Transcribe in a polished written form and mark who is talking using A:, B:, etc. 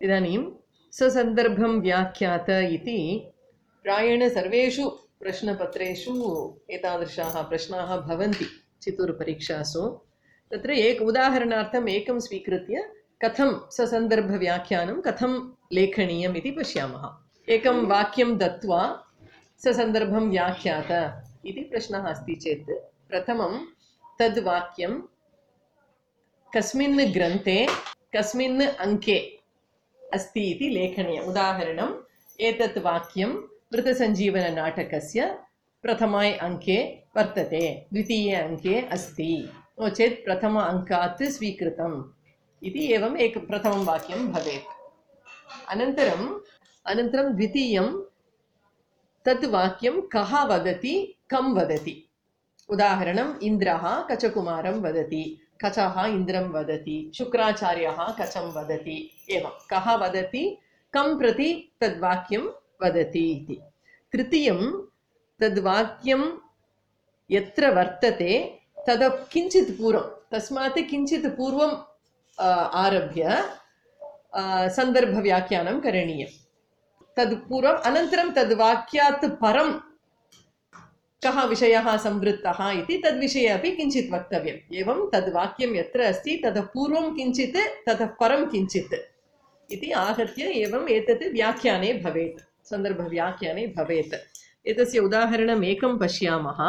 A: इदानीं ससन्दर्भं व्याख्यात इति प्रायेण सर्वेषु प्रश्नपत्रेषु एतादृशाः प्रश्नाः भवन्ति चित्तूरुपरीक्षासु। तत्र उदाहरणार्थम् एकं स्वीकृत्य कथं ससन्दर्भव्याख्यानं कथं लेखनीयम् इति पश्यामः। एकं वाक्यं दत्वा ससन्दर्भं व्याख्यात इति प्रश्नः अस्ति चेत् प्रथमं तद् वाक्यं कस्मिन् ग्रन्थे कस्मिन् अङ्के अस्ति इति लेखनीयम्। उदाहरणम् एतत् वाक्यं मृतसञ्जीवननाटकस्य प्रथमे अङ्के वर्तते, द्वितीये अङ्के अस्ति, नो चेत् प्रथम अङ्कात् स्वीकृतम् इति एवम् प्रथमं वाक्यं भवेत्। अनन्तरं द्वितीयं तत् वाक्यं कः वदति, कं वदति। उदाहरणम् इन्द्रः कचकुमारं वदति, कचः इन्द्रं वदति, शुक्राचार्यः कचं वदति, एवं कः वदति, कं प्रति तद्वाक्यं वदति इति। तृतीयं तद्वाक्यं यत्र वर्तते किञ्चित् पूर्वं, तस्मात् किञ्चित् पूर्वम् आरभ्य सन्दर्भव्याख्यानं करणीयं। तद् पूर्वम् अनन्तरं तद्वाक्यात् परं कः विषयः संवृत्तः इति तद्विषये अपि किञ्चित् वक्तव्यम्। एवं तद्वाक्यं यत्र अस्ति ततः पूर्वं किञ्चित् ततः परं किञ्चित् इति आहत्य एवम् एतत् व्याख्याने भवेत्, सन्दर्भव्याख्याने भवेत्। एतस्य उदाहरणम् एकं पश्यामः।